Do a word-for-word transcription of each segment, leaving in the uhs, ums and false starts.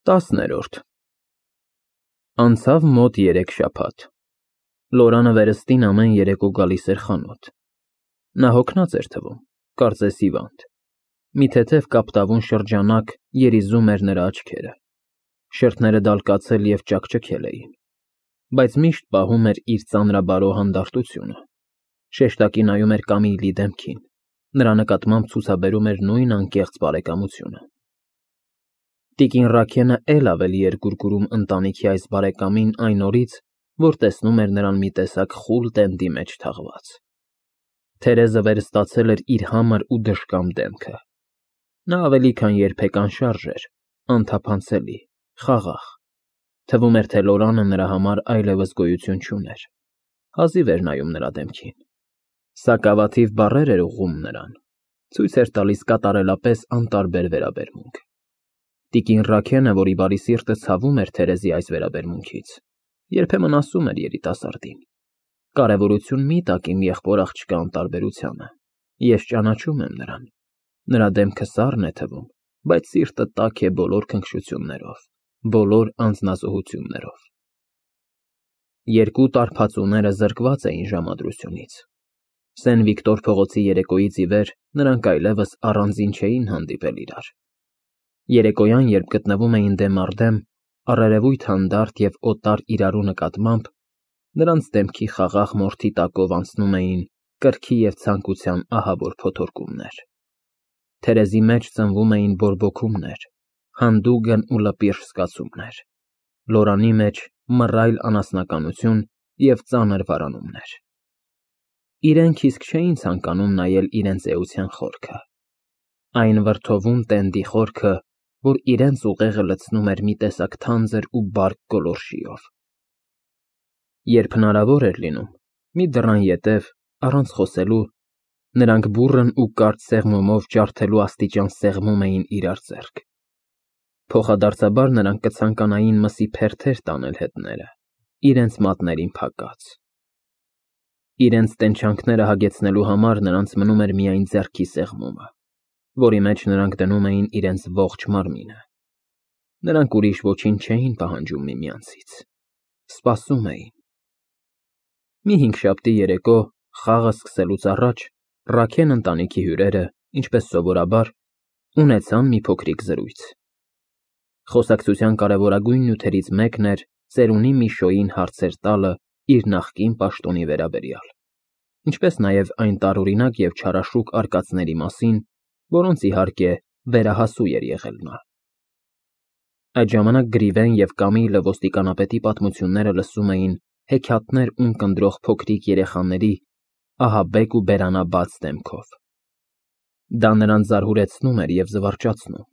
Տասներորդ Անցավ մոտ երեք շաբաթ։ Լորանը վերստին ամեն երեկո գալիս էր խանութ։ Նա հոգնած էր թվում, կարծես հիվանդ։ Մի թեթև կապտավուն շրջանակ երիզում էր նրա աչքերը։ Շրթները դալկացել և ճաքճքել էին, բայց միշտ պահում էր իր ծանրաբարո հանդարտությունը։ Շեշտակի նայում էր Կամիլի դեմքին, նրա նկատմամբ ցուցաբերում էր նույն անկեղծ բարեկամությունը։ Տիկին Ռաքենը էլ ավելի էր կուրկուրում ընտանիքի այս բարեկամին այն օրից, որ տեսնում էր նրան մի տեսակ խուլ տենդի մեջ թաղված։ Թերեզը վերստացել էր իր համր ու դժկամ դեմքը։ Նա ավելի քան երբեք անշարժ էր, անթափանցելի, խաղաղ։ Թվում էր, թե Լորանը նրա համար այլևս գոյություն չուներ։ Հազիվ էր նայում նրա դեմքին։ Սակավաթիվ բառեր էր ուղղում նրան, ցույց էր տալիս կատարելապես անտարբեր վերաբերմունք։ Տիկին Ռաքենը, որի բարի սիրտը ցավում էր Թերեզի այս վերաբերմունքից, երբեմն ասում էր երիտասարդին. «Կարևորություն մի տաք իմ եղբոր աղջկա անտարբերությանը, ես ճանաչում եմ նրան, նրա դեմքը սառն է թվում, բայց սիրտը տաք է բոլոր քնքշություններով, բոլոր անձնազոհություններով»։ Երկու տարբացուները զրկված էին ժամադրությունից։ Սեն Վիկտոր փողոցի երեկոյից ի վեր նրանք այլևս առանձին չէին հանդիպել իրար։ Երեկոյան, երբ գտնվում էին դեմ առ դեմ, առերևույթ հանդարտ և օտար իրարու նկատմամբ, նրանց դեմքի խաղաղ մորթի տակով անցնում էին կրքի և ցանկության ահավոր փոթորկումներ։ Թերեզի մեջ ծնվում էին բորբոքումներ, հանդուգն ու լպիրշ զգացումներ, Լորանի մեջ մռայլ անասնականություն և ծանր վարանումներ։ Իրենք իսկ չէին ցանկանում նայել իրենց էության խորքը, այն վրդովուն տենդի խորքը, որ իրենց ուղեղը լցնում էր մի տեսակ թանձր ու բարդ գոլորշիով։ Երբ հնարավոր էր լինում, մի դռան ետև, առանց խոսելու, նրանք բուռն ու կարճ սեղմումով ջարդելու աստիճան սեղմում էին իրար ձեռք։ Փոխադարձաբար նրանք կցանկանային մսի փերթեր տանել հետները, իրենց մատներին փակած։ Իրենց տենչանքները հագեցնելու համար նրանց մնում էր միայն ձեռքի սեղմումը, որի մեջ նրանք դնում էին իրենց ողջ մարմինը։ Նրանք ուրիշ ոչինչ չէին պահանջում միմյանցից, սպասում էին։ Մի հինգշաբթի երեկո, խաղը սկսելուց առաջ, Ռաքեն ընտանիքի հյուրերը, ինչպես սովորաբար, ունեցան մի փոքրիկ զրույց։ Խոսակցության կարևորագույն նյութերից մեկն էր ծերունի Միշոյին հարցեր տալը իր նախկին պաշտոնի վերաբերյալ, ինչպես նաև այն տարօրինակ և չարաշուկ արկածների մասին, որոնց, իհարկե, վերահասու էր եղել նա։ Այդ ժամանակ Գրիվեն և Կամիլը ոստիկանապետի պատմությունները լսում էին հեքիաթներ ունկնդրող փոքրիկ երեխաների ահաբեկ ու բերանաբաց դեմքով։ Դա նրանց զարհուրեցնում էր և զվարճացնում։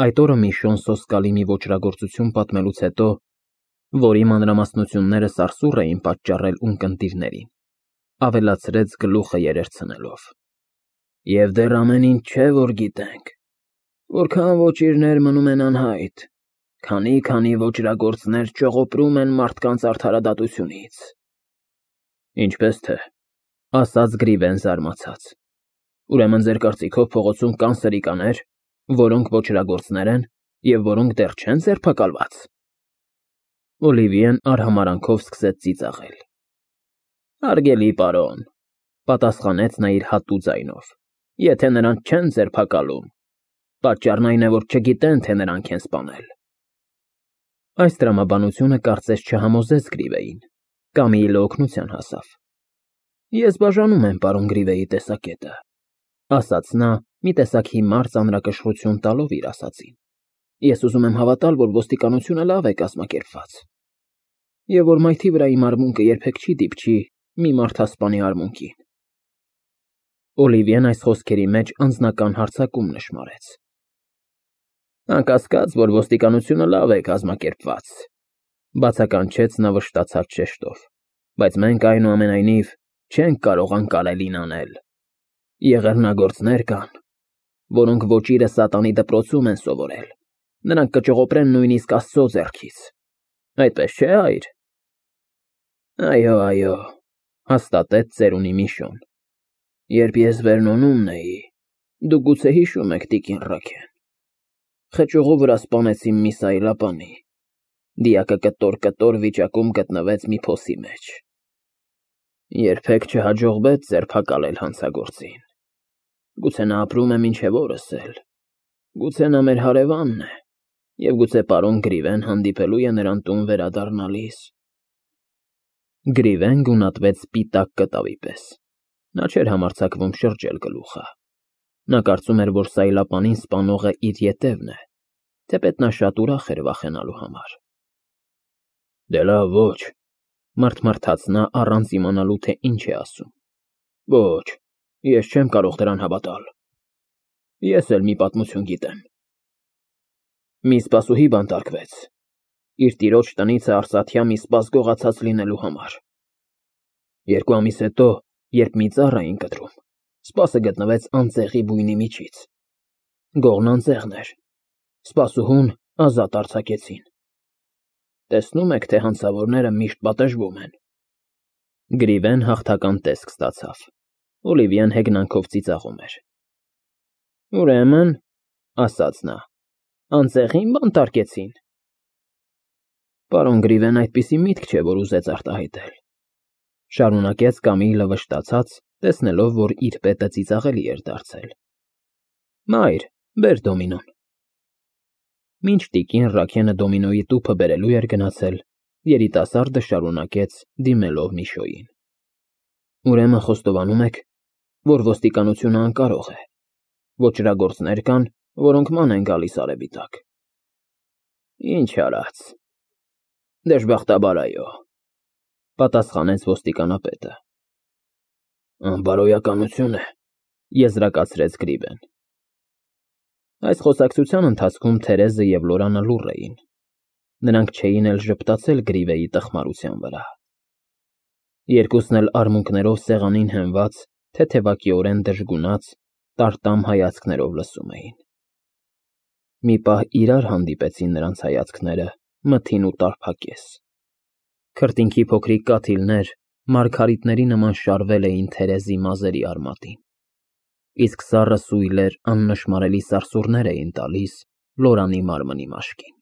Այդ օրը Միշոն սոսկալի մի ոճրագործություն պատմելուց հետո, որի մանրամասնությունները սարսուռ էին պատճառել ունկնդիրներին, ավելացրեց գլուխը երերցնելով. «Եվ դեռ ամեն ինչ չէ, որ գիտենք, որքան ոճիրներ մնում են անհայտ, քանի֊քանի ոճրագործներ ճողոպրում են մարդկանց արդարադատությունից»։ Ինչպես թե, ասաց Գրիվեն զարմացած, ուրեմն ձեր կարծիքով փողոցում կան սրիկաներ, որոնք ոճրագործներ են և որոնք դեռ չեն ձերբակալված։ Օլիվիեն արհամարհանքով սկսեց ծիծաղել։ Հարգելի պարոն, պատասխանեց նա իր հատու ձայնով, եթե նրանց չեն ձերբակալում, պատճառն այն է, որ չգիտեն, թե նրանք են սպանել։ Այս տրամաբանությունը կարծես չհամոզեց Գրիվեին, Կամիլը օգնության հասավ։ Ես բաժանում եմ պարոն Գրիվեի տեսակետը, ասաց նա, մի տեսակ հիմար ծանրակշռություն տալով իր ասածին։ Ես ուզում եմ հավատալ, որ ոստիկանությունը լավ է կազմակերպված, և որ մայթի վրայի մարմունքը երբեք չի դիպչի մի մարդասպանի արմունկին։ Օլիվիեն այս խոսքերի մեջ անձնական հարձակում նշմարեց։ Անկասկած, որ ոստիկանությունը լավ է կազմակերպված, բացականչեց նա վշտացած շեշտով, բայց մենք այնուամենայնիվ չենք կարող անկարելին անել։ Եղեռնագործներ կան, որոնք ոճիրը սատանի դպրոցում են սովորել, նրանք կճողոպրեն նույնիսկ Աստծո ձեռքից։ Այդպես չէ՞, հայր։ Այո, այո, հաստատեց ծերունի Միշոն։ Երբ ես Վերնոնում էի, դուք գուցե հիշում եք, տիկին Ռաքեն, խճուղու վրա սպանեցին մի սայլապանի։ Դիակը կտոր-կտոր վիճակում գտնվեց մի փոսի մեջ։ Երբեք չհաջողվեց ձերբակալել հանցագործին։ Գուցե նա ապրում է մինչև օրս էլ, գուցե նա մեր հարևանն է, և գուցե պարոն Գրիվեն հանդիպելու է նրան տուն վերադառնալիս։ Գրիվեն գունատվեց սպիտակ կտավի պես։ Նա չէր համարձակվում շրջել գլուխը։ Նա կարծում էր, որ սայլապանին սպանողը իր ետևն է, թեպետ նա շատ ուրախ էր վախենալու համար։ Դե լավ, ոչ, մռթմռթաց նա առանց իմանալու, թե ինչ է ասում։ Ոչ, ես չեմ կարող դրան հավատալ։ Ես էլ մի պատմություն գիտեմ։ Մի սպասուհի բանտարկվեց իր տիրոջ տնից արծաթյա մի սպաս գողացած լինելու համար։ Երկու ամիս հետո, երբ մի ծառ էին կտրում, սպասը գտնվեց անձեղի բույնի միջից։ Գողն անձեղն էր, սպասուհուն ազատ արձակեցին։ Տեսնում եք, թե հանցավորները միշտ պատժվում են։ Գրիվեն հաղթական տեսք ստացավ։ Օլիվիան հեգնանքով ծիծաղում էր։ Ուրեմն, ասաց նա, անձեղին բանտարկեցին։ Պարոն Գրիվեն այդպիսի միտք չէ, որ ուզեց արտահայտել, շարունակեց Կամիլը վշտացած, տեսնելով, որ իր պետը ծիծաղելի էր դարձել։ Մայր, բեր դոմինոն։ Մինչ տիկին Ռաքենը դոմինոյի տուփը բերելու էր գնացել, երիտասարդը շարունակեց, դիմելով Միշոյին։ Ուրեմն խոստովանում եք, որ ոստիկանությունը անկարող է, ոճրագործներ կան, որոնք ման են գալիս արևի տակ։ Ինչ արած։ Դժբախտաբար այո, պատասխանեց ոստիկանապետը։ Անբարոյականություն է, եզրակացրեց Գրիվեն։ Այս խոսակցության ընթացքում Թերեզը և Լորանը լուռ էին։ Նրանք չէին էլ ժպտացել Գրիվեի տխմարության վրա։ Երկուսն էլ արմունկներով սեղանին հենված, թեթևակիորեն դժգունած, տարտամ հայացքներով լսում էին։ Մի պահ իրար հանդիպեցին նրանց հայացքները, մթին ու տարփակես։ Քրտինքի փոքրիկ կաթիլներ մարգարիտների նման շարվել էին Թերեզի մազերի արմատին, իսկ սառը սույլեր աննշմարելի սարսուռներ էին տալիս Լորանի մարմնի մաշկին։